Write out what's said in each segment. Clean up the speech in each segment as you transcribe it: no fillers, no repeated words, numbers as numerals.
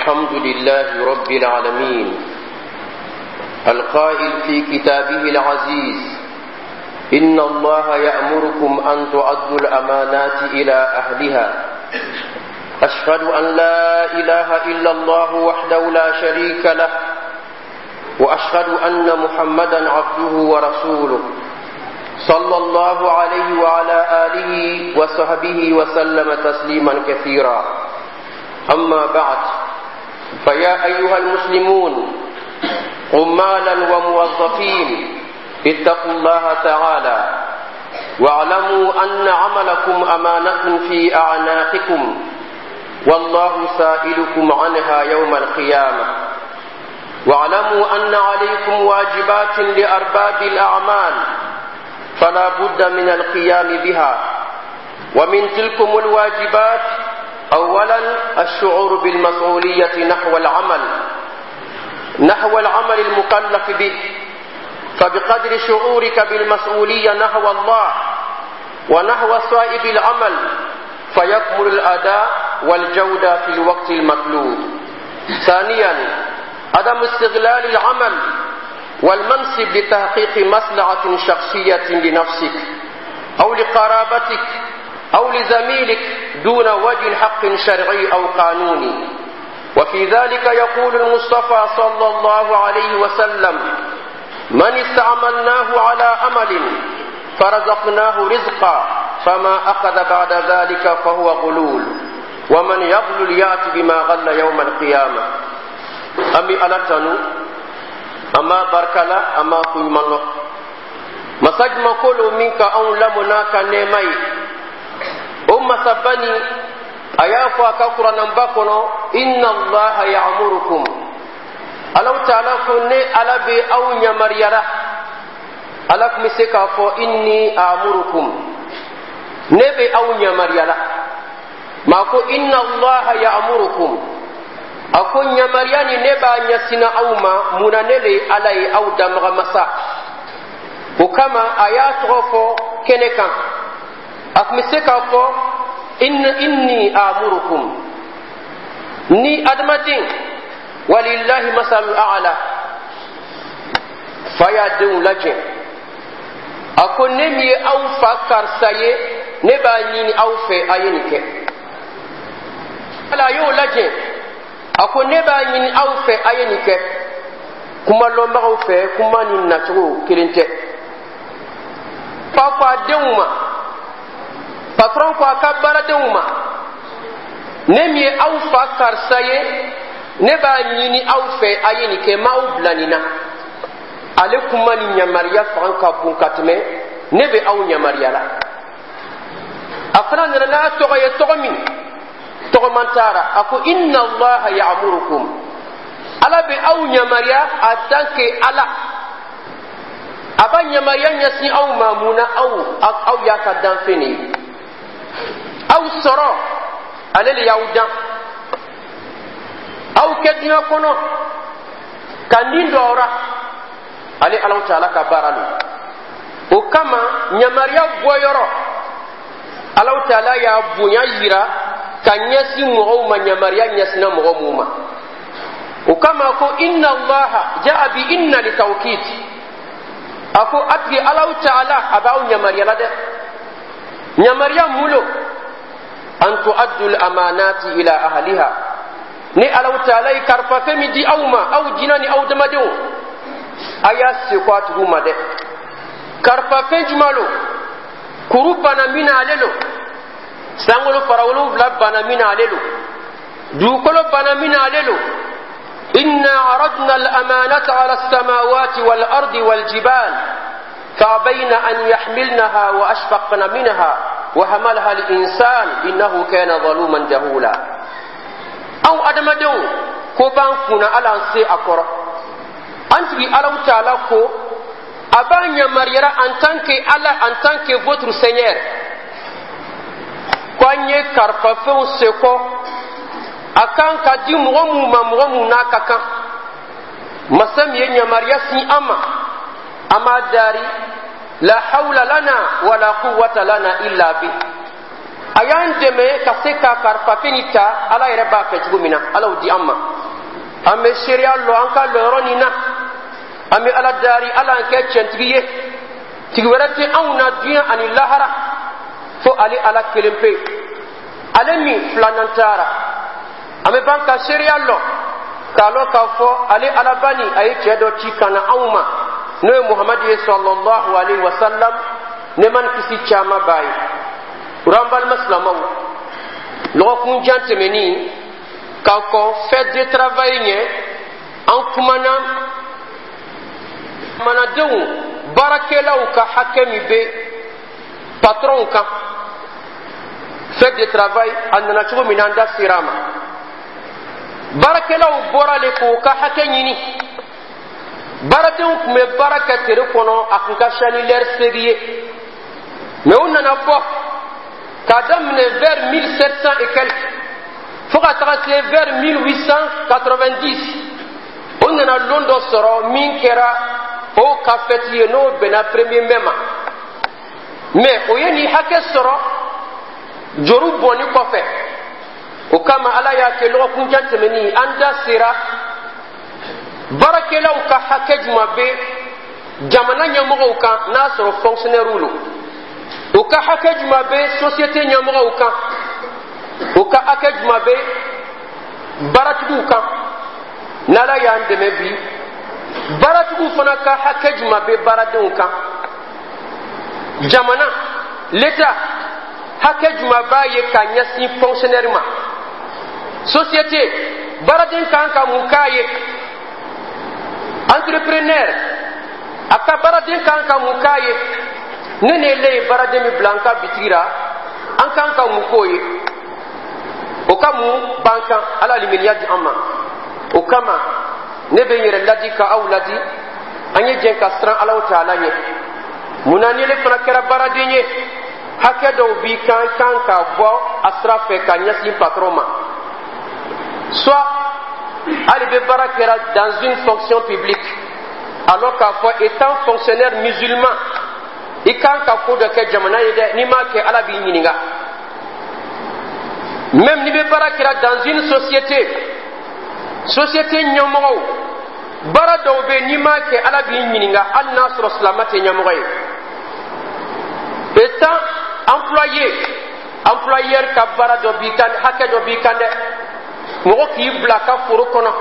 الحمد لله رب العالمين، القائل في كتابه العزيز: إن الله يأمركم أن تؤدوا الأمانات إلى أهلها. أشهد أن لا إله إلا الله وحده لا شريك له، وأشهد أن محمدا عبده ورسوله، صلى الله عليه وعلى آله وصحبه وسلم تسليما كثيرا. أما بعد، فيا أيها المسلمون، عمالا وموظفين، اتقوا الله تعالى واعلموا أن عملكم أمانة في أعناقكم، والله سائلكم عنها يوم القيامة. واعلموا أن عليكم واجبات لأرباب الأعمال، فلا بد من القيام بها. ومن تلكم الواجبات: أولا، الشعور بالمسؤولية نحو العمل المكلف به، فبقدر شعورك بالمسؤولية نحو الله ونحو صاحب العمل فيكمل الأداء والجودة في الوقت المطلوب. ثانيا، عدم استغلال العمل والمنصب لتحقيق مصلحة شخصية لنفسك أو لقرابتك أو لزميلك دون وجه حق شرعي أو قانوني. وفي ذلك يقول المصطفى صلى الله عليه وسلم: من استعملناه على عمل فرزقناه رزقا، فما أخذ بعد ذلك فهو غلول، ومن يغلل يأت بما غل يوم القيامة. An bɛ Ala tanu, an b'a barikala, an b'a koɲuman lɔn. Masa juman lo min ka anw lamɔ n'a ka nɛɛma ye? O masaba nin, a y'a fɔ a ka Kurananba kɔnɔ: inna Allaha ya'murukum. Alaw Taala ko ne Ala bɛ aw yamaruyara. Ala tun bɛ se k'a fɔ inni amurukum, ne bɛ aw yamaruyala. Maa ko inna Allaha ya'murukum, a ko yamaruya ni ne b'a ɲɛsina aw ma. Mun na? Ne le ye Ala ye, aw danbaga masa. O kama a y'a tɔgɔ fɔ kɛnɛ kan. A tun bɛ se k'a fɔ inni amurukum. Ni adamaden, walillahi masalul a'la, fa y'a denw lajɛ, a ko ne min ye aw fa karisa ye, ne b'a ɲini aw fɛ, a ye nin kɛ. Ala a y'o lajɛ, a ko ne b'a ɲini aw fɛ, a ye nin kɛ. Kuma lɔnbagaw fɛ, kuma nin nacogo kelen tɛ. Fa ko a denw ma, patron ko a ka baaradenw ma: ne min ye aw fa karisa ye, ne b'a ɲini aw fɛ, a ye nin kɛ, n m'aw bila nin na. Ale kuma ni yamaruya fanga ka bon ka tɛmɛ ne bɛ aw yamaruya la. A fana nana n'a tɔgɔ ye, tɔgɔ min tɔgɔman taara, a ko inna Allaha ya'murukum, Ala bɛ aw yamaruya. En tant que Ala, a b'a yamaruya ɲɛsin aw ma. Mun na? Aw y'a ka danfɛn de ye, aw sɔrɔ, ale le y'aw dan, aw kɛ diɲɛ kɔnɔ ka nin dɔ ra, ale Alaw Taala ka baara lo. O kama yamaruya bɔyɔrɔ, Alaw Taala y'a bonya yira ka ɲɛsin mɔgɔw ma, yamaruya ɲɛsinna mɔgɔ mun ma. O kama ko inna Allaha jaa bi inna li tawkid. A ko a tigi Alaw Taala a b'aw yamaruya la dɛ. Yamaruya mun lo? An tuaddu al-amanati ila ahliha. Ni Alaw Taala ye karifafɛn min di aw ma, aw jinɛ ni aw damadenw, a y'a seko a tigiw ma dɛ. Karifafɛn jumɛn lo? Kuru bana min na, ale lo. Sankolo fara 7 bana min na, ale lo. Dugukolo bana min na, ale lo. إنا عرضنا الأمانة على السماوات والأرض والجبال فأبين أن يحملنها وأشفقن منها وحملها الإنسان إنه كان ظلوما جهولا. أو أدمدو ko b'an kunna, ala an se a kɔrɔ. An tigi Alaw Taala ko a b'a yamaruyara en tant que Ala, en tant que votre Seigneur, ko an ye karifafɛnw sekɔ, a kan ka di mɔgɔ mun ma, mɔgɔ mun n'a ka kan. Masa min ye yamaruya sin an ma, an b'a dari la hawla lana wala quwwata lana illa bi. A y'an dɛmɛ ka se ka karifafɛn nin ta, Ala yɛrɛ b'a fɛ cogo min na, Ala y'o di an ma. An bɛ seereya lɔ an ka lɔyɔrɔ nin na. An bɛ Ala dari, Ala an kɛ tiɲɛtigi ye. Tigi wɛrɛ tɛ anw na diɲɛ ani lahara fo ale Ala kelen pe, ale min filanan taara. An bɛ ban ka seereya lɔ k'a lɔn k'a fɔ ale Alabani a ye cɛ dɔ ci ka na anw ma, n'o ye Muhamadu ye, sallallahu alaihi wa sallam, nɛɛma ni kisi caman b'a ye. O an balima silamɛw, lɔgɔkun jan tɛmɛnin ka kɔn Fête de travail ɲɛ, an kumana jamanadenw baarakɛlaw ka hakɛ min bɛ patronw kan. Fête de travail a nana cogo min na, an da sera a ma. Baarakɛlaw bɔra le k'o ka hakɛ ɲini. Baaradenw tun bɛ baara kɛ tere kɔnɔ, a tun ka siya ni lɛri 8 ye, mais u nana bɔ k'a daminɛ vers 1700 et quelque fo ka taga se vers 1890. O nana lon dɔ sɔrɔ min kɛra o ka fɛti ye, n'o bɛnna 1er mai ma. Mais o ye nin hakɛ sɔrɔ juru bɔnni kɔfɛ. O kama Ala y'a kɛ lɔgɔkunjan tɛmɛnin, an da sera baarakɛlaw ka hakɛ jumɛn bɛ jamana ɲɛmɔgɔw kan, n'a sɔrɔ fonctionnaire lo, o ka hakɛ jumɛn bɛ société ɲɛmɔgɔw kan, o ka hakɛ jumɛn bɛ baaratigiw kan. N'Ala y'an dɛmɛ bi, baaratigiw fana ka hakɛ jumɛn bɛ baaradenw kan, jamana, l'État, hakɛ jumɛn b'a ye ka ɲɛsin fonctionnaire ma, société, baaraden kan ka mun k'a ye, entrepreneur, a ka baaraden kan ka mun k'a ye, ne ni ele ye baaraden min bila an ka bitigi la, an kan ka mun k'o ye, o ka mun b'an kan. Ala limaniya di an ma. O kama ne bɛ n yɛrɛ ladi ka aw ladi, an ye jɛn ka siran Alaw Taala ɲɛ. Munna ni ele fana kɛra baaraden ye, hakɛ dɔw b'i kan kan ka bɔ a sira fɛ ka ɲɛsin patron ma. Soit hali bɛ baara kɛra dans une fonction publique, alors k'a fɔ étant fonctionnaire musulman, i kan ka ko dɔ kɛ jamana ye dɛ, n'i m'a kɛ, Ala b'i ɲininka. Même n'i bɛ baara kɛra dans une société, société ɲɛmɔgɔw, baara dɔw bɛ yen, n'i m'a kɛ, Ala b'i ɲininka, hali n'a sɔrɔ silamɛ tɛ ɲɛmɔgɔ ye. Étant employé, employeur ka baara dɔ b'i kan, hakɛ dɔ b'i kan dɛ. Mɔgɔ k'i bila a ka foro kɔnɔ,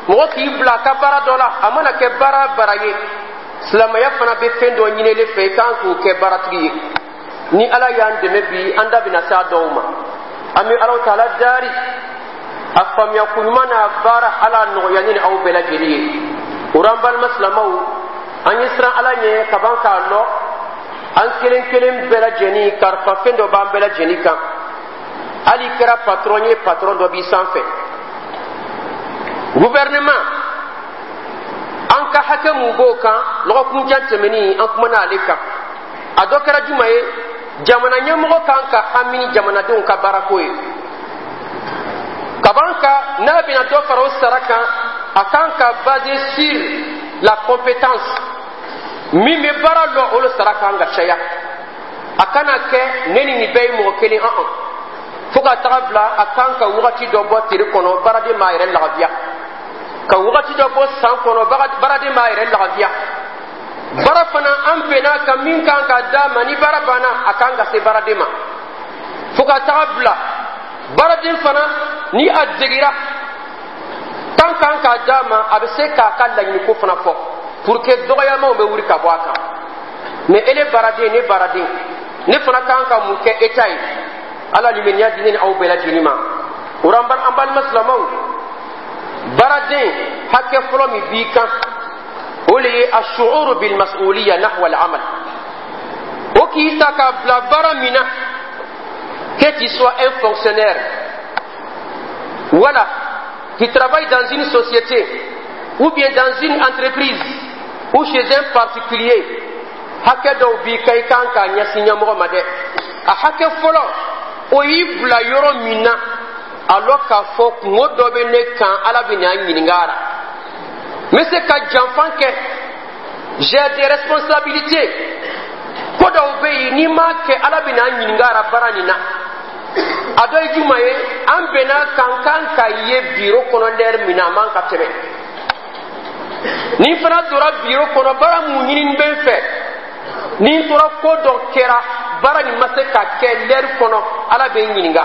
mɔgɔ k'i bila a ka baara dɔ la, a mana kɛ baara baara ye, silamɛya fana bɛ fɛn dɔ ɲini ele fɛ, i kan k'o kɛ baaratigi ye. Ni Ala y'an dɛmɛ bi, an da bɛna se a dɔw ma. An bɛ Alaw Taala dari, a faamuya ko ɲuman n'a baara, Ala nɔgɔya ne ni aw bɛɛ lajɛlen ye. O rɔ, an balima silamɛw, an ye siran Ala ɲɛ ka ban k'a lɔ an kelen kelen bɛɛ lajɛlen karifa fɛn dɔ b'an bɛɛ lajɛlen kan. Hali i kɛra patron ye, patron dɔ b'i sanfɛ. Gouvernement, an ka hakɛ mun b'o kan? Lɔgɔkunjan tɛmɛnin, an kumana ale kan. A dɔ kɛra juma ye? Jamana ɲɛmɔgɔ kan ka hami ni jamanadenw ka baarako ye kaban ka n'a bɛna dɔ fara o sara kan, a kan ka baser sur la compétence. Min bɛ baara lɔ, olu sara kan ka caya. A kana kɛ ne ni nin bɛɛ ye mɔgɔ kelen an fo ka taga bila. A kan ka wagati dɔ bɔ tere kɔnɔ, baaraden b'a yɛrɛ lagabiya, ka wagati dɔ bɔ san kɔnɔ, baaraden b'a yɛrɛ lagabiya. Baara fana, an bɛnna ka min kan ka d'a ma, ni baara banna, a kan ka se baaraden ma. Fo ka taga bila baaraden fana, ni a degira tan kan ka d'a ma, a bɛ se k'a ka laɲiniko fana fɔ pour que dɔgɔyamaw bɛ wuli ka bɔ a kan. Mais ele baaraden, ne baaraden, ne fana kan ka mun kɛ État ye? Ala limaniya di ne ni aw bɛɛ lajɛlen ma. O rɔ, an balima silamɛw, baaraden hakɛ fɔlɔ min b'i kan, o le ye ashuuru bil mas'uliya nahwa al amal. O k'i ta k'a bila baara min na, que tu sois un fonctionnaire, voilà, qui travaille dans une société ou bien dans une entreprise ou chez un particulier, hakɛ dɔw b'i kan, i kan k'a ɲɛsin ɲɛmɔgɔ ma dɛ. A hakɛ fɔlɔ, o y'i bila yɔrɔ min na, a lɔ k'a fɔ kungo dɔ bɛ ne kan, Ala bɛ n'a ɲininka a la. N bɛ se ka janfan kɛ, j'ai des responsabilités. Ko dɔw bɛ yen, n'i m'a kɛ, Ala bɛ n'a ɲininka a la baara nin na. A dɔ ye juma ye? An bɛnna kan kan ka ye biro kɔnɔ lɛri min na, a man ka tɛmɛ. Ni fana tora biro kɔnɔ, baara mun ɲini bɛ n fɛ, ni n tora, ko dɔ kɛra, baara nin ma se ka kɛ lɛri kɔnɔ, Ala bɛ n ɲininka.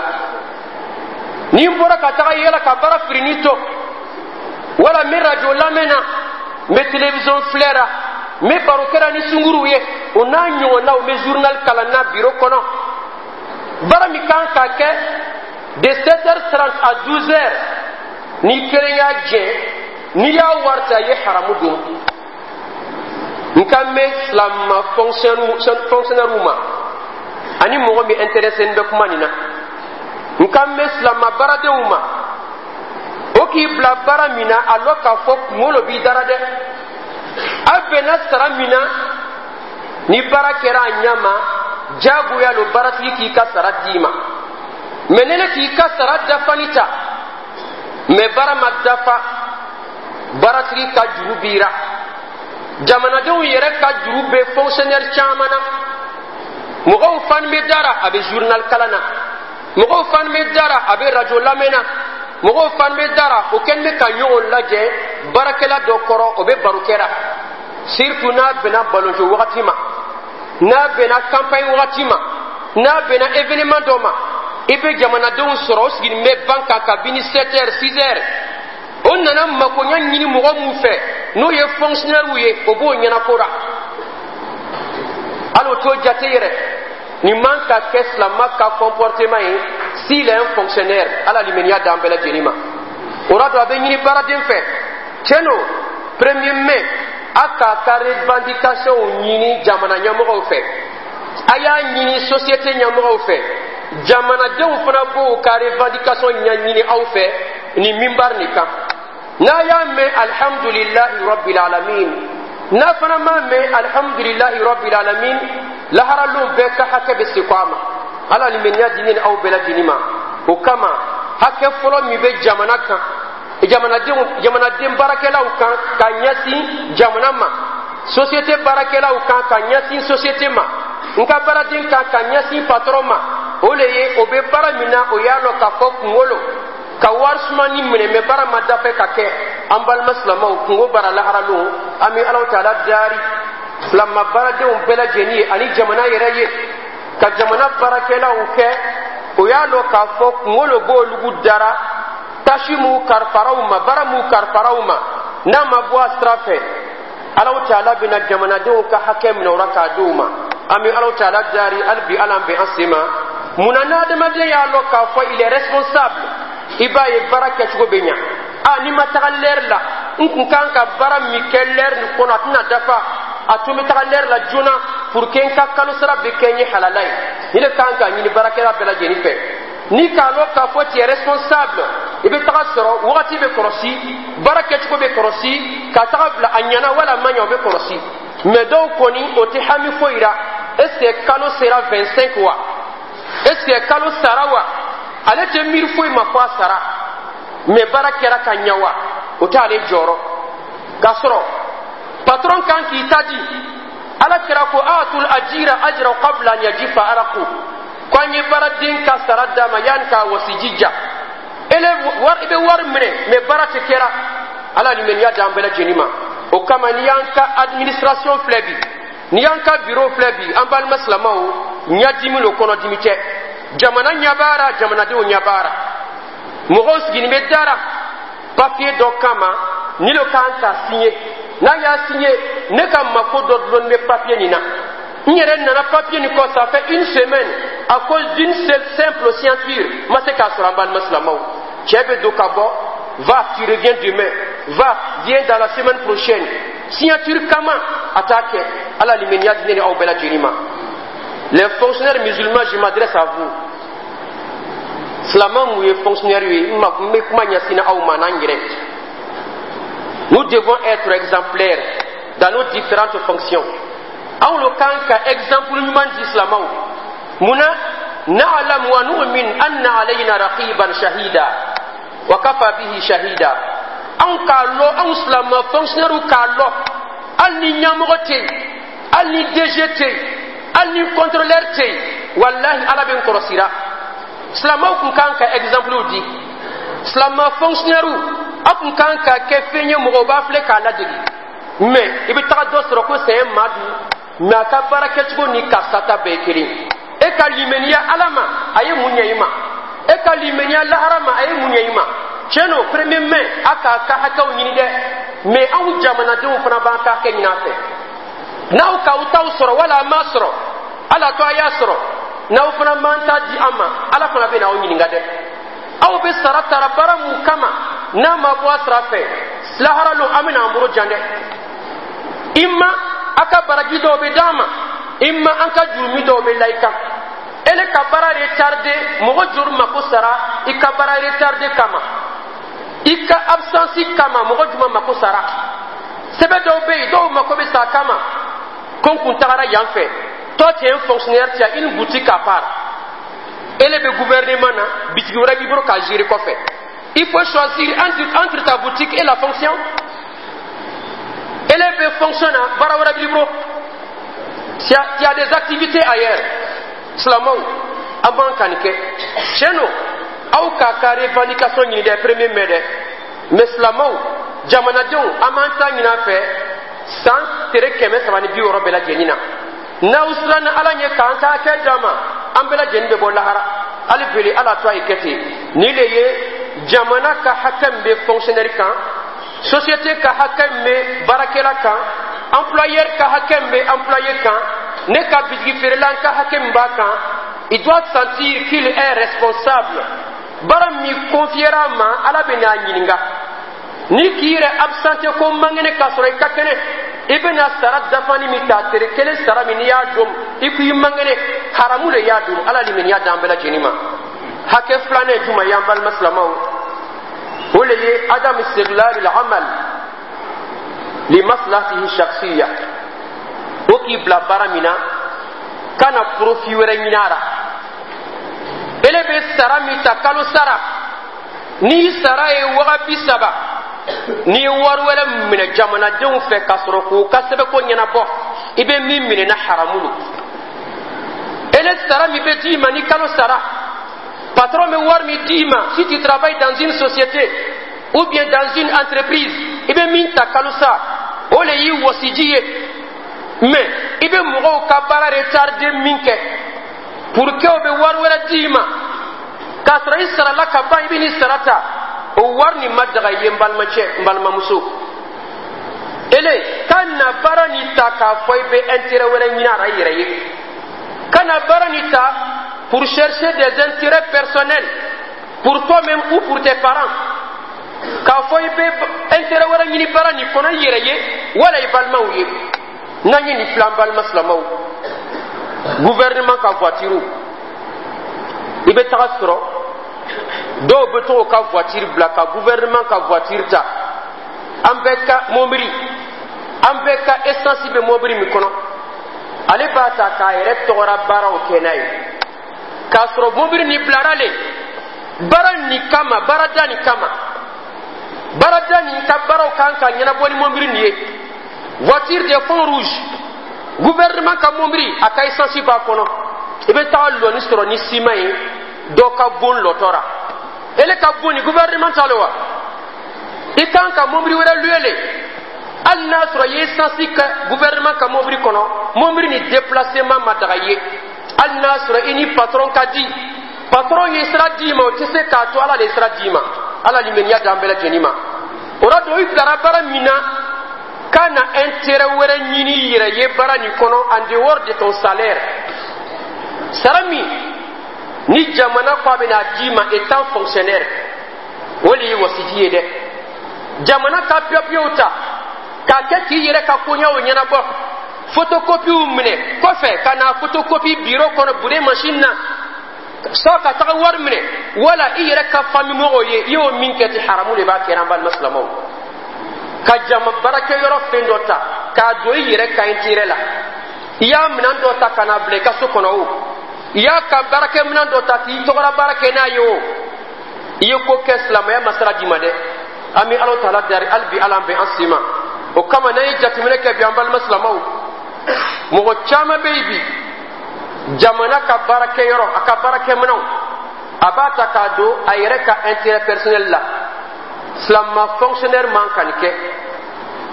Ni n bɔra ka taga yɛlɛ ka baara firini to, wala n bɛ radio lamɛn na, n bɛ télévision filɛ la, n bɛ baro kɛra ni sunguruw ye, o n'a ɲɔgɔnnaw, n bɛ journal kalan na biro kɔnɔ, baara min kan ka kɛ de 7h30 à 12h, ni kelen y'a jɛ, n'i y'a wari ta, i ye haramu dun. N kan bɛ silama fonctionnaire ma ani mɔgɔ min intéressé bɛ kuma nin na. N kan bɛ silama baaradenw ma, o k'i bila baara min na, a lɔn k'a fɔ kunkolo b'i dara dɛ. A bɛnna sara min na, ni baara kɛra a ɲɛ ma, jagoya lo baaratigi k'i ka sara d'i ma. Mɛ ne ne k'i ka sara dafani ta, mɛ baara ma dafa, baaratigi ka juru b'i ra, jamanadenw yɛrɛ ka juru bɛ fonctionnaire caman na. Mɔgɔw fani bɛ dara, a bɛ journal kalan na. Mɔgɔw fani bɛ dara, a bɛ radio lamɛn na. Mɔgɔw fani bɛ dara, o kɛlen bɛ ka ɲɔgɔn lajɛ baarakɛla dɔ kɔrɔ, o bɛ baro kɛra, surtout n'a bɛnna balontan wagati ma, n'a bɛnna campagne wagati ma, n'a bɛnna événement dɔ ma. I bɛ jamanadenw sɔrɔ, o sigilen bɛ ban kan kabini 7 heures, 6 heures. O nana makoɲa ɲini mɔgɔ mun fɛ, n'o ye fonctionnaire ye, o b'o ɲɛnako la, hali o t'o jate yɛrɛ. Nin man ka kɛ silama ka comportement ye s'il est un fonctionnaire. Ala limaniya d'an bɛɛ lajɛlen ma. O la don, a bɛ ɲini baaraden fɛ, tiɲɛ don, 1er mai, a k'a ka revendication ɲini jamana ɲɛmɔgɔw fɛ, a y'a ɲini société ɲɛmɔgɔw fɛ. Jamanadenw fana b'o ka revendication ɲɛɲini aw fɛ nin minbar nin kan. N'a y'a mɛn alhamdulilahi rabbil alamin, n'a fana m'a mɛn alhamdulilahi rabbil alamin, laharalon bɛɛ ka hakɛ bɛ se ko a ma. Ala limaniya di ne ni aw bɛɛ lajɛlen ma. O kama, hakɛ fɔlɔ min bɛ jamana kan, jamanadenw, jamanaden baarakɛlaw kan ka ɲɛsin jamana ma, société baarakɛlaw kan ka ɲɛsin société ma, n ka baaraden kan ka ɲɛsin patron ma, o le ye o bɛ baara min na, o y'a lɔn k'a fɔ kunkolo ka wari sumani minɛ, mɛ baara ma dafa ka kɛ. An balima silamaw, kungo bara laharalon, an bɛ Alaw taala daari silama baaradenw bɛɛ lajɛlen ye ani jamana yɛrɛ ye, ka jamana baarakɛlaw kɛ, o y'a lɔn k'a fɔ kunkolo b'olugu dara, tasi m'u karifaraw ma, baara m'u karifaraw ma, n'a ma bɔ a sira fɛ, Alaw taala bɛna jamanadenw ka hakɛ minɛ o la k'a di u ma. An bɛ Alaw taala daari hali bi, Ala bɛn an sen ma. Munna n'adamaden y'a lɔn k'a fɔ il est responsable, i b'a ye baara kɛcogo bɛ ɲa. A n'i ma taga lɛri la, n kun kan ka baara min kɛ lɛri nin kɔnɔ, a tɛna dafa. A tun bɛ taga lɛri la joona pour que n ka kalo sara bɛ kɛ n ye halala ye. Ni de kan ka ɲini baarakɛla bɛɛ lajɛlen fɛ, ni k'a lɔn k'a fɔ tu es responsable, i bɛ taga sɔrɔ wagati bɛ kɔlɔsi, baara kɛcogo bɛ kɔlɔsi, ka taga bila a ɲɛna wala a ma ɲɛ, o bɛ kɔlɔsi. Mɛ dɔw kɔni, o tɛ hami foyi la. Est ce que kalo sera 25 wa? Est ce que kalo sara wa? Ale tɛ miiri foyi ma fɔ a sara. Mɛ baara kɛra ka ɲɛ wa, o t'ale jɔrɔ. K'a sɔrɔ patron kan k'i ta di. Ala kɛra ko atul ajira ajra qabla an yajifa araqu, ko an ye baaraden ka sara d'a ma yanni k'a wɔsiji ja. Ele wari, i bɛ wari minɛ, mɛ baara tɛ kɛra. Ala limaniya d'an bɛɛ lajɛlen ma. O kama, n'i y'an ka administration filɛ bi, n'i y'an ka bureau filɛ bi, an balima silamɛw, ɲɛdimi lo, kɔnɔdimi tɛ. Jamana ɲɛbaara, jamanadenw ɲɛbaara, mɔgɔw sigilen bɛ dara papier dɔ kama, ni lo kan ka signer. N'a y'a signer, ne ka mako dɔ dulonni bɛ papier nin na. N yɛrɛ nana papier nin kɔ, ça fait une semaine, à cause d'une seule simple signature, ma se k'a sɔrɔ. An balima silamɛw, cɛ bɛ don ka bɔ: va, tu reviens demain, va, viens dans la semaine prochaine. Signature kama, a t'a kɛ. Ala limaniya di ne ni aw bɛɛ lajɛlen ma. Les fonctionnaires musulmans, je m'adresse à vous. Silamɛ mun ye fonctionnaire ye, n bɛ kuma ɲɛsin aw ma n'an yɛrɛ. Nous devons être exemplaires dans nos différentes fonctions. Anw lo kan ka exemple ɲuman di silamɛw. Munna? Na'lam wa nu'min anna alayna raqiban shahida wa kafa bihi shahida. Anw k'a lɔ, anw silamɛ fonctionnaire k'a lɔ, hali ni ɲɛmɔgɔ tɛ yen, hali ni DG tɛ yen, hali ni contrôleur tɛ yen, walahi, Ala bɛ n kɔlɔsira. Silamɛw kun kan ka exemple di. Silamɛ fonctionnaire, aw kun kan ka kɛ fɛn ye, mɔgɔw b'a filɛ k'a ladege. Mais i bɛ taga dɔ sɔrɔ ko c'est un madu, mais a ka baara kɛcogo ni karisa ta bɛɛ ye kelen. E ka limaniya Ala ma, a ye mun ɲɛ i ma? E ka limaniya lahara ma, a ye mun ɲɛ i ma? Tiɲɛ don, 1er mai, a k'a ka hakɛw ɲini dɛ, mais anw jamanadenw fana b'an ka hakɛ ɲini a fɛ. N'aw k'aw taw sɔrɔ wala a m'a sɔrɔ, Ala to a y'a sɔrɔ. N'aw fana m'an ta di an ma, Ala fana bɛ n'aw ɲininka dɛ. Aw bɛ sara tara baara mun kama, n'a ma bɔ a sira fɛ, lahara lon an bɛna an bolo jan dɛ. I ma a ka baraji dɔw bɛ d'an ma, i ma an ka jurumi dɔw bɛ la i kan. Ele ka baara retardé, mɔgɔ joli mako sara i ka baara retardé kama? I ka absence kama, mɔgɔ jumɛn mako sara? Sɛbɛn dɔw bɛ yen, dɔw mako bɛ sa kama ko n kun tagara yan fɛ. Toi, tu es un fonctionnaire, tu as une boutique à part. Ele bɛ gouvernement na, bitigi wɛrɛ b'i bolo k'a gérer kɔfɛ. Il faut choisir entre ta boutique et la fonction. Ele bɛ fonction na, baara wɛrɛ b'i bolo, tu as des activités ailleurs. Silamɛw, an b'an ka nin kɛ. Tiɲɛ don, aw k'a ka revendication ɲini dɛ, 1er mai dɛ, mais silamɛw, jamanadenw, an b'an ta ɲini a fɛ san tere 360 bɛɛ lajɛlen na. N'aw siranna Ala ɲɛ k'an ka hakɛ d'an ma, an bɛɛ lajɛlen bɛ bɔ lahara. Hali bele Ala to a ye kɛ ten. Nin de ye jamana ka hakɛ min bɛ fonctionnaire kan, société ka hakɛ min bɛ baarakɛla kan, employeur ka hakɛ min bɛ employé kan, ne ka bitigi feerela ka hakɛ min b'a kan. Il doit sentir qu'il est responsable. Baara min confiera a ma, Ala bɛ n'a ɲininka. Ni k'i yɛrɛ absenté ko man kɛnɛ k'a sɔrɔ i ka kɛnɛ, i bɛna sara dafani min ta, tere kelen sara min, n'i y'a dɔn i ko i man kɛnɛ, haramu de y'a dɔn. Ala limaniya d'an bɛɛ lajɛlen ma. Hakɛ filanan ye jumɛn ye, an balima silamɛw? O le ye عدم استغلال العمل لمصلحته الشخصية. O k'i bila baara min na, kana profit wɛrɛ ɲini a la. Ele bɛ sara min ta kalo sara, n'i sara ye 30 000, n'i ye wari wɛrɛ minɛ jamanadenw fɛ k'a sɔrɔ k'o ka sɛbɛnko ɲɛnabɔ, i bɛ min minɛ na, haramu don. Ele sara min bɛ d'i ma ni kalo sara, patron bɛ wari min d'i ma, si tu travailles dans une société ou bien dans une entreprise, i bɛ min ta kalo sa, o le y'i wɔsiji ye. Mais i bɛ mɔgɔw ka baara retardé min kɛ pour que o bɛ wari wɛrɛ d'i ma k'a sɔrɔ i sarala ka ban, i bɛ n'i sara ta, o wari nin ma daga i ye. N balimacɛ, n balimamuso, ele ka na baara nin ta k'a fɔ i bɛ intérêt wɛrɛ ɲini a la i yɛrɛ ye. Ka na baara nin ta pour chercher des intérêts personnels pour toi-même ou pour tes parents, k'a fɔ i bɛ intérêt wɛrɛ ɲini baara nin kɔnɔ i yɛrɛ ye wala i balimaw ye. N'an ye nin filɛ, an balima silamɛw, gouvernement ka voiture, i bɛ taga sɔrɔ dɔw bɛ to ka voiture bila ka gouvernement ka voiture ta. An bɛɛ ka mobili, an bɛɛ ka essence bɛ mobili min kɔnɔ, ale b'a ta k'a yɛrɛ tɔgɔra baaraw kɛ n'a ye, k'a sɔrɔ mobili nin bilara le baara nin kama, baarada nin kama. Baarada nin ka baaraw kan ka ɲɛnabɔ ni mobili nin ye. Voiture de fond rouge, gouvernement ka mobili, a ka essence b'a kɔnɔ. I bɛ taga lɔni sɔrɔ ni siman ye dɔ ka bon lɔtɔ ra. Ele ka bon ni gouvernement ta lo wa? I kan ka mobili wɛrɛ louer le. Hali n'a sɔrɔ i ye essence kɛ gouvernement ka mobili kɔnɔ, mobili ni déplacement ma daga i ye. Hali n'a sɔrɔ i ni patron ka di, patron ye sira d'i ma, o tɛ se k'a to Ala de ye sira d'i ma. Ala limaniya d'an bɛɛ lajɛlen ma. O la don, i bilara baara min na, ka na intérêt wɛrɛ ɲini i yɛrɛ ye baara nin kɔnɔ en dehors de ton salaire. Sara min ni jamana ko a bɛna d'i ma étant fonctionnaire, o de ye wasiji ye dɛ. Jamana ka papiyew ta k'a kɛ k'i yɛrɛ ka koɲɛw ɲɛnabɔ, photocopiw minɛ kɔfɛ ka na photocopie bureau kɔnɔ, bureau machine na sɔ ka taga wari minɛ, wala i yɛrɛ ka famille mɔgɔw ye, i y'o min kɛ ten, haramu de b'a kɛra. An balima silamɛw, ka jama baarakɛyɔrɔ fɛn dɔ ta k'a don i yɛrɛ ka intérêt la, i y'a minɛn dɔ ta ka n'a bila i ka so kɔnɔ, o i y'a ka baarakɛminɛn dɔ ta k'i tɔgɔla baara kɛ n'a ye, o i ye ko kɛ, silamɛya ma sira d'i ma dɛ. An bɛ Ala taala dari hali bi, Ala bɛ an sen ma. O kama, n'an ye jateminɛ kɛ bi, an balima silamɛw, mɔgɔ caman bɛ yen bi, jamana ka baarakɛyɔrɔ, a ka baarakɛminɛnw A b'a ta k'a don a yɛrɛ ka intérêt personnel la. Silama fonctionnaire man ka nin kɛ.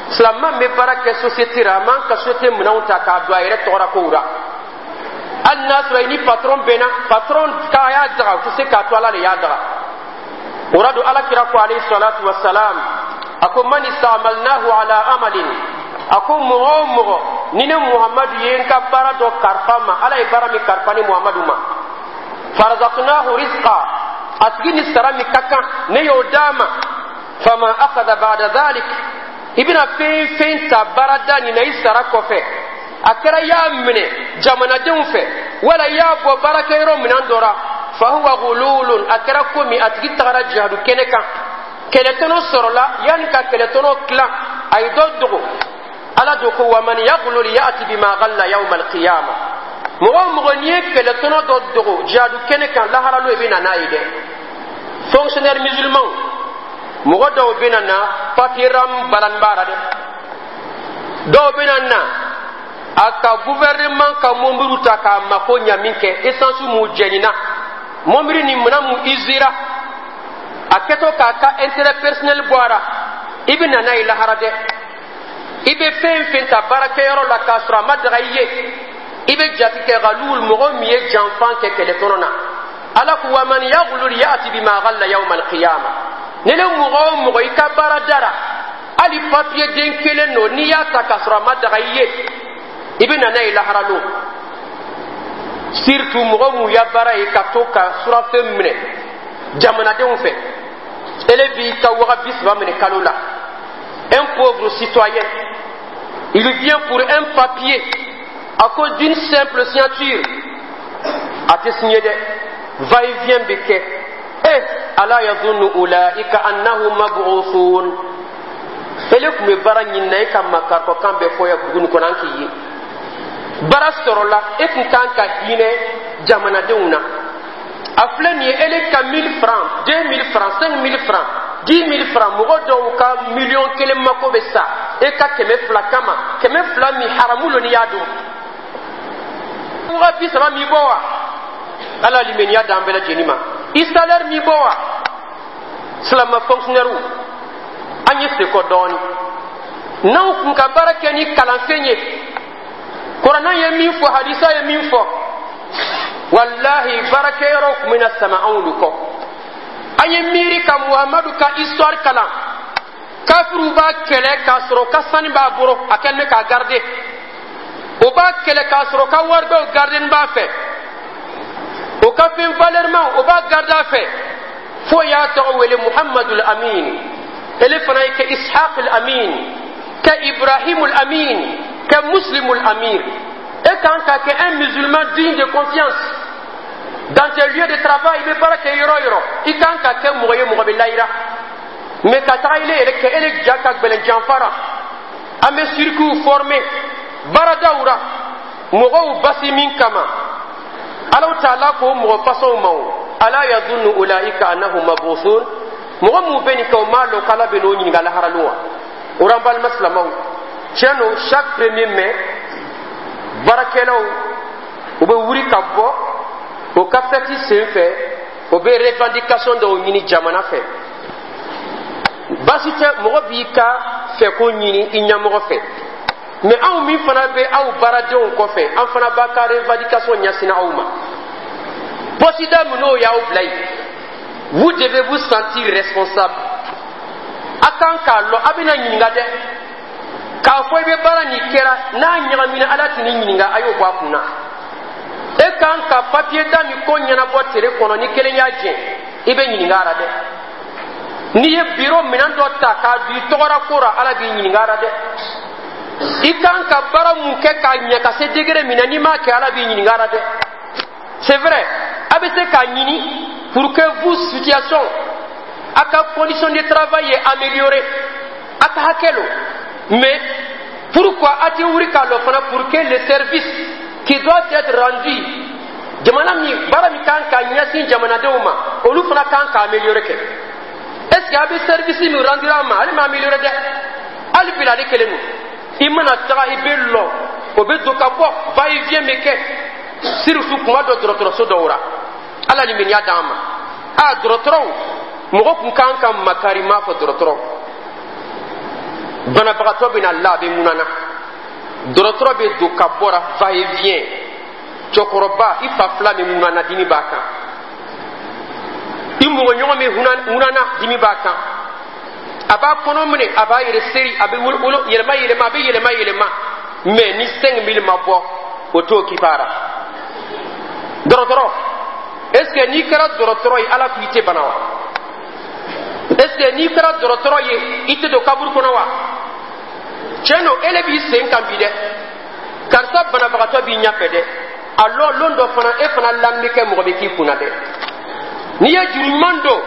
Silama min bɛ baara kɛ société la, a man ka société minɛnw ta k'a don a yɛrɛ tɔgɔra kow la, hali n'a sɔrɔ i ni patron bɛnna. Patron k'a y'a daga, o tɛ se k'a to Ala de y'a daga. O la don, Ala kira ko, alayhi salatu wa salam, a ko: man istamalnahu ala amalin, a ko mɔgɔ o mɔgɔ ni ne Muhamadu ye n ka baara dɔ kalifa ma, Ala ye baara min kalifa ni Muhamadu ma, farazaqnahu rizqa, a tigi ni sara min ka kan, ne y'o d'a ma, fama akhadha ba'da dhalik, i bɛna fɛn fɛn ta baarada nin na i sara kɔfɛ, a kɛra i y'a minɛ jamanadenw fɛ wala i y'a bɔ baarakɛyɔrɔ minɛn dɔ la, fahuwa gululun, a kɛra komi a tigi tagara jihadu kɛnɛ kan, kɛlɛtɔnɔ sɔrɔla, yanni ka kɛlɛtɔnɔ tilan, a ye dɔ dogo. Ala do ko: waman yaglul ya'ti bima ghalla yawma alqiyama. Mɔgɔ o mɔgɔ n'i ye kɛlɛtɔnɔ dɔ dogo jihadu kɛnɛ kan, laharalo i bɛ na n'a ye dɛ. Fonctionnaire musulman, mɔgɔ dɔw bɛ na na papier ram balani b'a la dɛ. Dɔw bɛ na na a ka gouvernement ka mobili ta k'a mako ɲa min kɛ, essence mu jɛnina, mobili ni minɛn mu usera, a kɛtɔ k'a ka intérêt personnel bɔ a la, i bɛ na n'a ye lahara dɛ. I bɛ fɛn fɛn ta baarakɛyɔrɔ la k'a sɔrɔ a ma daga i ye, i bɛ jate kɛ galul, mɔgɔ min ye janfan kɛ kɛlɛtɔnɔ na. Ala ko: waman yaglul ya'ti bima ghalla yawma alqiyama. Ni ne mɔgɔ o mɔgɔ i ka baara dara, hali papiye den kelen don, n'i y'a ta k'a sɔrɔ a ma daga i ye, i bɛ na n'a ye lahara lon. Surtout mɔgɔ mun ya baara ye ka to ka surafɛn minɛ jamanadenw fɛ, ele b'i ka 30 000 minɛ kalo la. Un pauvre citoyen, il vient pour un papier, à cause d'une simple signature, a tɛ signé dɛ, va et vient bɛ kɛ. Eh, ala yadhunnu ulaika annahum mab'uthun. Ele tun bɛ baara ɲini na, e ka makarikɔ kan bɛɛ fɔ ya dugu nin kɔnɔ, an k'i ye baara sɔrɔla, e tun kan ka hinɛ jamanadenw na. A filɛ nin ye, ele ka 1000 francs, 2000 francs, 5000 francs, 10 000 francs, mɔgɔ dɔw ka miliyɔn 1 mako bɛ sa e ka 200 kama, 200 min haramu lo n'i y'a dun. 30 000 min bɔ wa, Ala limaniya d'an bɛɛ lajɛlen ma. I salaire min bɔ wa. Silama fonctionnaire, an ye sekɔ dɔɔni n'anw kun ka baara kɛ ni kalanfɛn ye, Kuranna ye min fɔ, hadisa ye min fɔ, walahi baarakɛyɔrɔw tun bɛna sama anw de kɔ. An ye miiri ka Muhamadu ka histoire kalan. Kafiriw b'a kɛlɛ k'a sɔrɔ ka sani b'a bolo, a kɛlen bɛ k'a garder. O b'a kɛlɛ k'a sɔrɔ ka waribaw garden b'a fɛ, o ka fɛn valeurman o b'a garder a fɛ, fo y'a tɔgɔ wele Muhamadul Amin. Ele fana ye kɛ Ishaq al Amin, kɛ Ibrahimul Amin, kɛ Muslimul Amir. E kan ka kɛ un musulman digne de confiance dans tes lieux de travail. I bɛ baara kɛ yɔrɔ o yɔrɔ, i kan ka kɛ mɔgɔ ye mɔgɔ bɛ layira. Mais ka taga ile yɛrɛ kɛ ele ja ka gbɛlɛn janfara. An bɛ circuits former baaradaw ra mɔgɔw basi min kama, Alaw taala k'o mɔgɔ fasɔnw ma o: ala yadunnu ulaika annahum mabuthun. Mɔgɔ mun bɛ nin kɛ, o m'a lɔn k'Ala bɛ n'o ɲininka lahara lon wa? O la, n balima silamɛw, tiɲɛ don, chaque 1er mai, baarakɛlaw u bɛ wuli ka bɔ o ka fɛti sen fɛ, o bɛ revendication dɔw ɲini jamana fɛ. Baasi tɛ, mɔgɔ b'i ka fɛko ɲini i ɲɛmɔgɔ fɛ. Mais anw min fana bɛ aw baaradenw kɔfɛ, an fana b'a ka revendication ɲɛsin aw ma. Poste min n'o y'aw bila yen, vous devez vous sentir responsable. A kan k'a lɔn a bɛna ɲininka dɛ. K'a fɔ i bɛ baara nin kɛra n'a ɲagamina, Ala tɛ n'i ɲininka, a y'o bɔ a kun na. E kan ka papiye da min ko ɲɛnabɔ tere kɔnɔ, ni kelen y'a jɛ, i bɛ ɲininka a la dɛ. N'i ye biro minɛn dɔ ta k'a don i tɔgɔra ko la, Ala b'i ɲininka a la dɛ. I kan ka baara mun kɛ k'a ɲɛ ka se degré min na, n'i m'a kɛ, Ala b'i ɲininka a la dɛ. C'est vrai, a bɛ se k'a ɲini pour que vous situation, a ka condition de travail ye améliorée, a ka hakɛ lo. Mais pourquoi a tɛ wuli k'a lɔ fana pour que le service qui doit être rendu, jamana min baara min kan ka ɲɛsin jamanadenw ma, olu fana kan ka améliorer kɛ? Est ce que a bɛ service min rendu a ma, ale ma améliorer dɛ? Hali bi ale kelen don. I mana taga, i bɛ lɔ, o bɛ don ka bɔ, va et vient bɛ kɛ, surtout kuma dɔ dɔgɔtɔrɔso dɔw la. Ala ni miniya d'an ma. A dɔgɔtɔrɔw, mɔgɔ kun kan ka makari m'a fɔ dɔgɔtɔrɔ. Banabagatɔ bɛ na la, a bɛ ŋunana, dɔgɔtɔrɔ bɛ don ka bɔra, va et vient. Cɛkɔrɔba, i fa fila bɛ ŋunana, dimi b'a kan. I mɔgɔ ɲɔgɔn bɛ ŋunana, dimi b'a kan. A b'a kɔnɔ minɛ, a b'a yɛrɛ seri, a bɛ wolo yɛlɛma yɛlɛma, a bɛ yɛlɛma yɛlɛma. Mais ni 5000 ma bɔ, o t'o kipara. Dɔgɔtɔrɔ, est ce que n'i kɛra dɔgɔtɔrɔ ye, Ala k'i tɛ bana wa? Est ce que n'i kɛra dɔgɔtɔrɔ ye, i tɛ don kaburu kɔnɔ wa? Tiɲɛ don, ele b'i sen kan bi dɛ, karisa banabagatɔ b'i ɲɛfɛ dɛ. A lɔ lon dɔ fana, e fana lamɛn kɛ, mɔgɔ bɛ k'i kunna dɛ. N'i ye juru ɲuman don,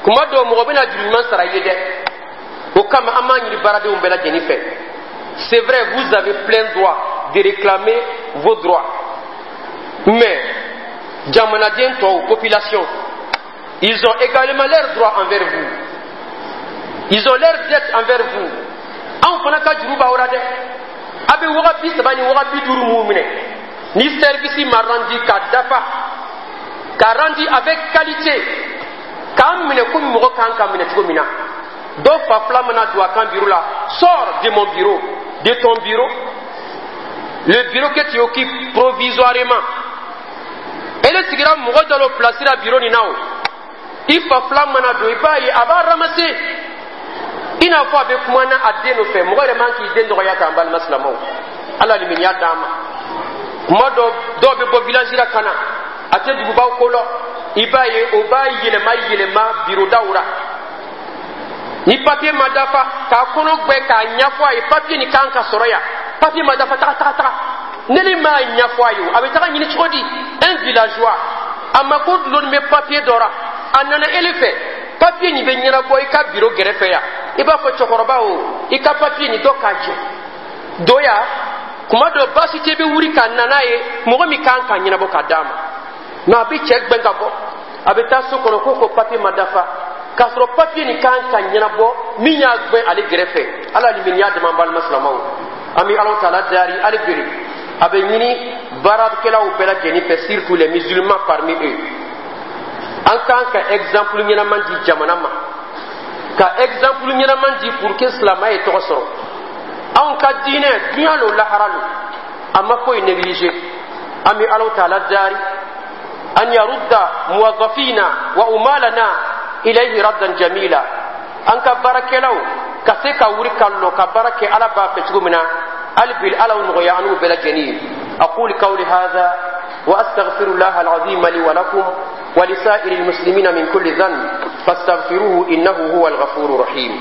kuma dɔw mɔgɔ bɛna juru ɲuman sara i ye dɛ. O kama, an b'a ɲini baaradenw bɛɛ lajɛlen fɛ. C'est vrai, vous avez plein droit de réclamer vos droits, mais jamanaden tɔw, population, ils ont également leurs droits envers vous, ils ont leur dette envers vous. Anw fana ka juru b'aw la dɛ. A bɛ waga 30 ni waga 50 mun minɛ, ni service ma rendu ka dafa, ka rendu avec qualité, k'an minɛ komi mɔgɔ kan ka minɛ cogo min na. Dɔw fa fila mana don a kan bureau la: "Sors de mon bureau, de ton bureau, le bureau que tu occupes provisoirement." Ele sigira mɔgɔ dɔ la place la bureau nin na. O i fa fila mana don, i b'a ye a b'a ramasser i n'a fɔ a bɛ kuma na a den nɔfɛ. Mɔgɔ yɛrɛ man k'i den dɔgɔya k'an balima silamɛw. Ala limaniya d'an ma. Kuma dɔ, dɔw bɛ bɔ village la ka na, a tɛ dugubaw ko lɔ, i b'a ye o b'a yɛlɛma yɛlɛma bureau daw la. Ni papier ma dafa, k'a kɔnɔ gbɛ k'a ɲɛfɔ a ye: papier nin kan ka sɔrɔ yan, papier ma dafa, taga taga taga. Ne ni m'a ɲɛfɔ a ye, o a bɛ taga ɲini cogo di? Un villageois, a mako dulonni bɛ papier dɔ la, a nana ele fɛ, papier nin bɛ ɲɛnabɔ i ka bureau gɛrɛfɛ yan. I b'a fɔ: cɛkɔrɔba o, i ka papier nin dɔ k'a jɛ doya. Kuma dɔ, baasi tɛ, bɛ wuli ka na n'a ye, mɔgɔ min kan ka ɲɛnabɔ ka d'a ma. Mais a bɛ cɛ gbɛn ka bɔ, a bɛ taa so kɔnɔ ko papier ma dafa, k'a sɔrɔ papier nin kan ka ɲɛnabɔ, min y'a gbɛn ale gɛrɛfɛ. Ala limaniya dama. An balima silamɛw, an bɛ Ala taala dari hali bere. A bɛ ɲini baarakɛlaw bɛɛ lajɛlen fɛ, surtout les musulmans parmi eux, an kan ka exemple ɲɛnaman di jamana ma, ka exemple ɲɛnaman di pour que silamɛya ye tɔgɔ sɔrɔ. Anw ka diinɛ, diɲɛ lo, lahara lo, a ma foyi négliger. An bɛ Ala taala dari أن يرد موظفينا وعمالنا إليه ردا جميلا. An ka baarakɛlaw ka se ka wuri ka lɔ ka baara kɛ Ala b'a fɛ cogo min na. Hali bi, Ala nɔgɔya an n'u bɛɛ lajɛlen ye. أقول قولي هذا وأستغفر الله العظيم لي ولكم ولسائر المسلمين من كل ذنب، فاستغفروه إنه هو الغفور الرحيم.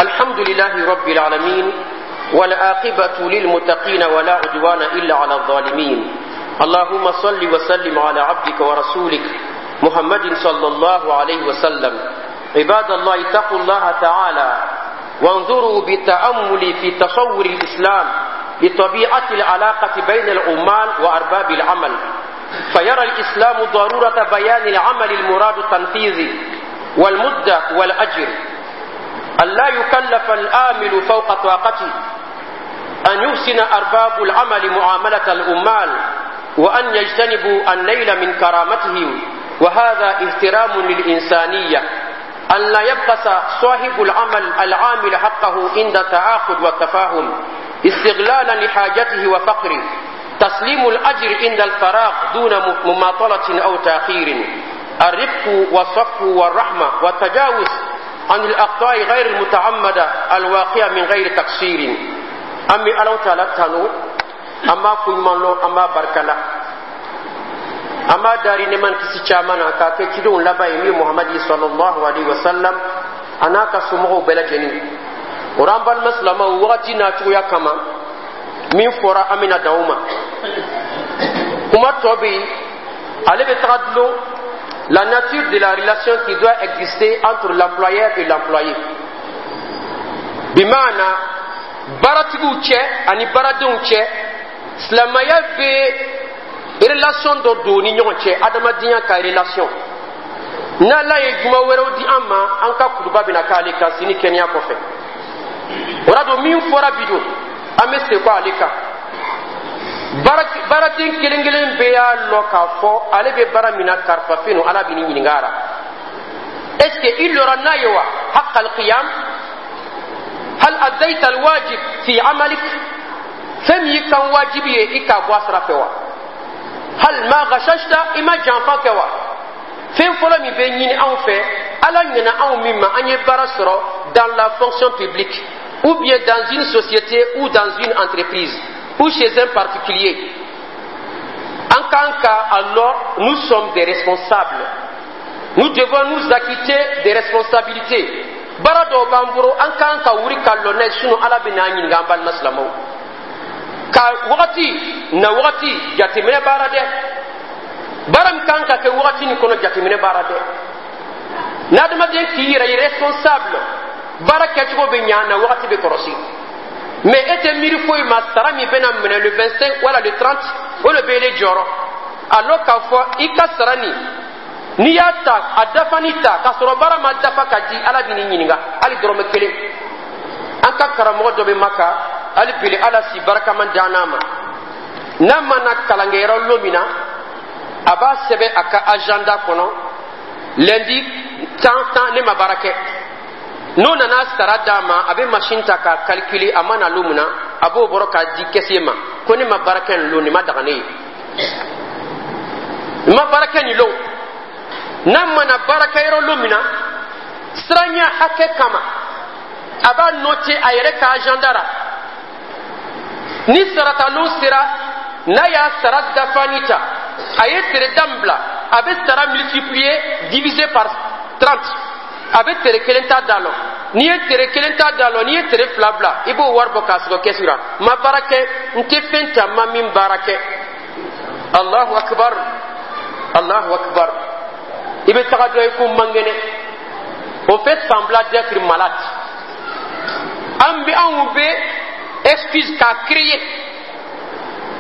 الحمد لله رب العالمين، والعاقبة للمتقين، ولا عدوان إلا على الظالمين. اللهم صل وسلم على عبدك ورسولك محمد صلى الله عليه وسلم. عباد الله، اتقوا الله تعالى وانظروا بالتأمل في تصور الإسلام لطبيعة العلاقة بين العمال وأرباب العمل. فيرى الإسلام ضرورة بيان العمل المراد تنفيذه والمدة والأجر، أن لا يكلف الآمل فوق طاقته، أن يحسن أرباب العمل معاملة العمال، وأن يجتنبوا النيل من كرامتهم، وهذا احترام للإنسانية، أن لا يبخس صاحب العمل العامل حقه عند التعاقد والتفاهم استغلالا لحاجته وفقره، تسليم الأجر عند الفراغ دون مماطلة أو تأخير، الرفق والصفح والرحمة والتجاوز عن الأخطاء غير المتعمدة الواقعة من غير تقصير. An bɛ Ala taala tanu, an b'a koɲuman lɔn, an b'a barikala, an b'a dari nɛɛma kisi caman na k'a kɛ cidenw laban ye, min Muhamadi sallallahu alaihi wa sallam, a n'a ka somɔgɔw bɛɛ lajɛlen. O la, an balima silamɛw, wagati n'a cogoya kama, min fɔra, an bɛna dan o ma. Kuma tɔ bɛ yen, ale bɛ taga dulon la nature de la relation qui doit exister entre l'employeur et l'employé, bimaana baaratigiw cɛ ani baaradenw cɛ. Silamɛya bɛ relation dɔ don ni ɲɔgɔn cɛ, adamadenya ka relation. N'Ala ye juma wɛrɛw di an ma, an ka kutuba bɛna k'ale kan sini kɛnɛya kɔfɛ. O la don, min fɔra bi don, an bɛ segin ale kan. Baaraden kelen kelen bɛɛ y'a lɔn k'a fɔ ale bɛ baara min na, karifa fɛn no, Ala bɛ n'i ɲininka a la. Est ce que i lɔra n'a ye wa? حق القيام، هل أديت الواجب في عملك؟ Fɛn min y'i kan wajibi ye, i k'a bɔ a sira fɛ wa? هل ما غششت؟ I ma janfa kɛ wa? Fɛn fɔlɔ min bɛ ɲini anw fɛ, Ala ɲɛna anw min ma, an ye baara sɔrɔ dans la fonction publique ou bien dans une société ou dans une entreprise ou chez un particulier, en tant qu'alors nous sommes des responsables, nous devons nous acquitter des responsabilités. Baara dɔw b'an bolo, an kan ka wuli ka lɔ n'a ye, sinon Ala bɛ n'an ɲininka. An balima silamɛw, ka wagati na wagati jateminɛ baara dɛ, baara min kan ka kɛ wagati nin kɔnɔ, jateminɛ baara dɛ. N'adamaden k'i yɛrɛ ye responsable, baara kɛcogo bɛ ɲa na, wagati bɛ kɔrɔsi. Mais e tɛ miiri foyi ma, sara min bɛna minɛ le 25 wala le 30, o de bɛ ele jɔrɔ, alors k'a fɔ i ka sara nin, n'i y'a ta a dafani ta k'a sɔrɔ baara ma dafa ka di, Ala bɛ n'i ɲininka hali dɔrɔmɛ kelen. An ka karamɔgɔ dɔ bɛ Maka hali bili, Ala si barikama d'an n'a ma. N'a mana kalankɛyɔrɔ lon min na, a b'a sɛbɛn a ka agenda kɔnɔ: lundi tan tan, ne ma baara kɛ. N'o nana sara d'a ma, a bɛ machine ta k'a calculer, a ma na lon min na, a b'o bɔrɔ k'a di caissier ma ko ne ma baara kɛ nin lon, nin ma daga ne ye, n ma baara kɛ nin lon. N'a mana baarakɛyɔrɔ lon min na, siranya hakɛ kama, a b'a noter a yɛrɛ ka agenda la. Ni saratalon sera, n'a y'a sara dafani ta, a ye tere da min bila, a bɛ sara multiplier, diviser par 30, a bɛ tere kelen ta da lɔ. N'i ye tere kelen ta da lɔ, n'i ye tere fila bila, i b'o wari bɔ k'a sɔrɔ kɛsu la. Ma baara kɛ, n tɛ fɛn ta ma min baara kɛ. الله أكبر، الله أكبر. I bɛ taga dɔ ye ko man kɛnɛ, on fait semblant d'être malade. An bɛ, anw bɛ excuse k'a créer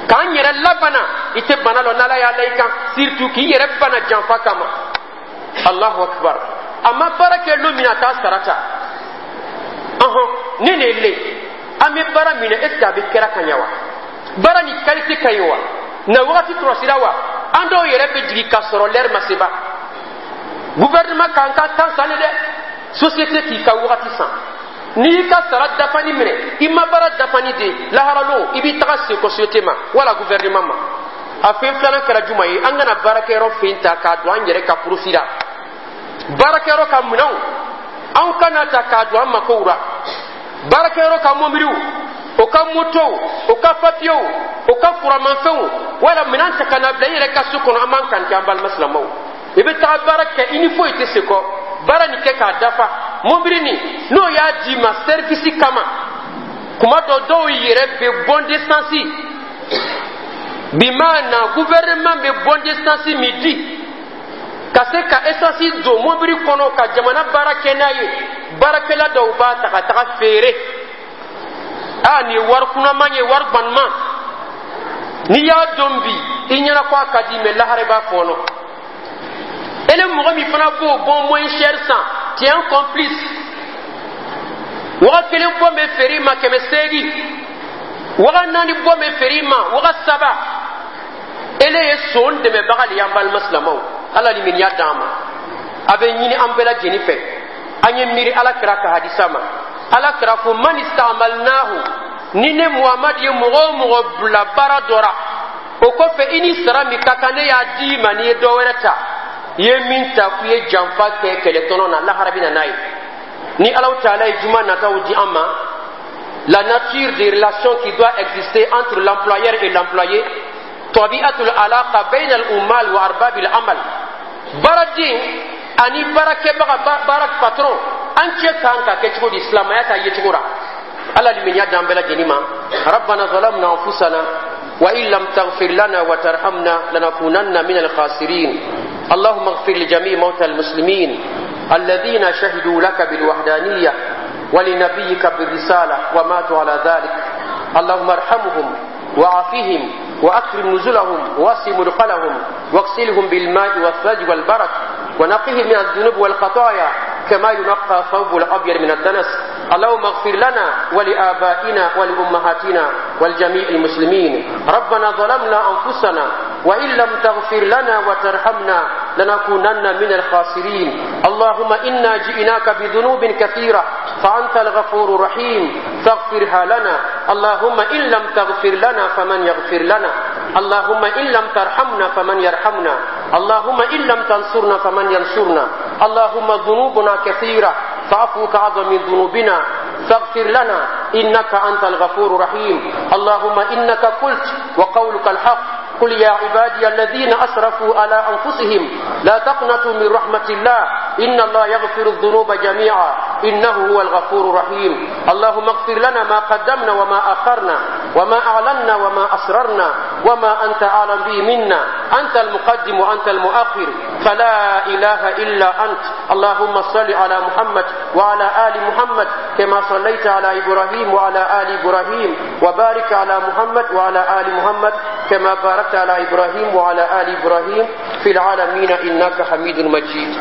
k'an yɛrɛ labana. I tɛ bana lɔ, n'Ala y'a la i kan, surtout k'i yɛrɛ bana janfa kama. الله أكبر. A ma baara kɛ lon min na, a t'a sara ta. Ɔhɔn, ne de le an bɛ baara min na, est ce que a bɛ kɛra ka ɲɛ wa? Baara ni qualité ka ɲi wa? Na wagati kɔlɔsira wa? An dɔw yɛrɛ bɛ jigin ka sɔrɔ l'heure ma se ba. Gouvernement k'an ka temps san dɛ, société k'i ka wagati san. N'i y'i ka sara dafani minɛ, i ma baara dafani de, laharalon i b'i taga sekɔ société ma wala gouvernement ma. A fɛn filanan kɛra juma ye? An kana baarakɛyɔrɔ fɛn ta k'a don an yɛrɛ ka profit la. Baarakɛyɔrɔ ka minɛnw, anw kana ta k'a don an makow la. Baarakɛyɔrɔ ka mɔbiliw, o ka motow, o ka papiyew, o ka kuramafɛnw, wala minɛn ta ka na bila i yɛrɛ ka so kɔnɔ, an b'an kan kɛ. An balima silamɛw, i bɛ taga baara kɛ, i ni foyi tɛ se kɔ, baara nin kɛ k'a dafa. Mobili nin, n'o y'a d'i ma service kama, kuma dɔ dɔw yɛrɛ bɛ bon d'essence bimaana, gouvernement bɛ bon d'essence min di ka se ka essence don mobili kɔnɔ ka jamana baara kɛ n'a ye, baarakɛla dɔw b'a ta ka taga feere. Aa, nin ye wari kunaman ye, wari gbanuman. N'i y'a dɔn bi, i ɲɛna ko a ka di, mɛ lahara i b'a fɔɔnɔ. Ele mɔgɔ min fana b'o bon moins cher san, tu es un complice. Waga kelen bɔ bɛ feere i ma 800, waga naani bɔ bɛ feere i ma waga saba. Ele ye son dɛmɛbaga de ye. An balima silamɛw, Ala limaniya d'an ma. A bɛ ɲini an bɛɛ lajɛlen fɛ, an ye miiri Ala kira ka hadisa ma. Ala kira ko: من استعملناه, ni ne Muhamadu ye mɔgɔ o mɔgɔ bila baara dɔ ra, o kɔfɛ i ni sara min ka kan, ne y'a di i ma, n'i ye dɔ wɛrɛ ta, i ye min ta k'i ye janfa kɛ kɛlɛtɔnɔ na, lahara bɛ na n'a ye. Ni Alaw taala ye juma nataw di an ma, la nature des relations qui doit exister entre l'employeur et l'employé, طبيعة العلاقة بين العمال وأرباب العمل, baaraden ani baarakɛbaga, baara patron, an cɛ kan ka kɛ cogo di silamɛya ta yecogo la? Ala limaniya d'an bɛɛ lajɛlen ma. ربنا ظلمنا أنفسنا وإن لم تغفر لنا وترحمنا لنكونن من الخاسرين. اللهم اغفر لجميع موتى المسلمين الذين شهدوا لك بالوحدانية ولنبيك بالرسالة وماتوا على ذلك. اللهم ارحمهم وعافهم وأكرم نزلهم ووسع مدخلهم واغسلهم بالماء والثلج والبرد ونقهم من الذنوب والخطايا كما ينقى الثوب الأبيض من الدنس. اللهم اغفر لنا ولآبائنا ولأمهاتنا ولجميع المسلمين. ربنا ظلمنا أنفسنا وإن لم تغفر لنا وترحمنا لنكونن من الخاسرين. اللهم إنا جئناك بذنوب كثيرة، فأنت الغفور الرحيم، فاغفرها لنا. اللهم إن لم تغفر لنا فمن يغفر لنا؟ اللهم إن لم ترحمنا فمن يرحمنا؟ اللهم إن لم تنصرنا فمن ينصرنا؟ اللهم ذنوبنا كثيرة، فعفوك أعظم من ذنوبنا، فاغفر لنا إنك أنت الغفور الرحيم. اللهم إنك قلت، وقولك الحق: قل يا عبادي الذين أسرفوا على أنفسهم لا تقنطوا من رحمة الله، إن الله يغفر الذنوب جميعا، إنه هو الغفور الرحيم. اللهم اغفر لنا ما قدمنا وما أخرنا وما أعلنا وما أسررنا وما أنت أعلم به منا، أنت المقدم وأنت المؤخر، فلا إله إلا أنت. اللهم صل على محمد وعلى آل محمد كما صليت على إبراهيم وعلى آل إبراهيم، وبارك على محمد وعلى آل محمد كما باركت على إبراهيم وعلى آل إبراهيم في العالمين إنك حميد مجيد.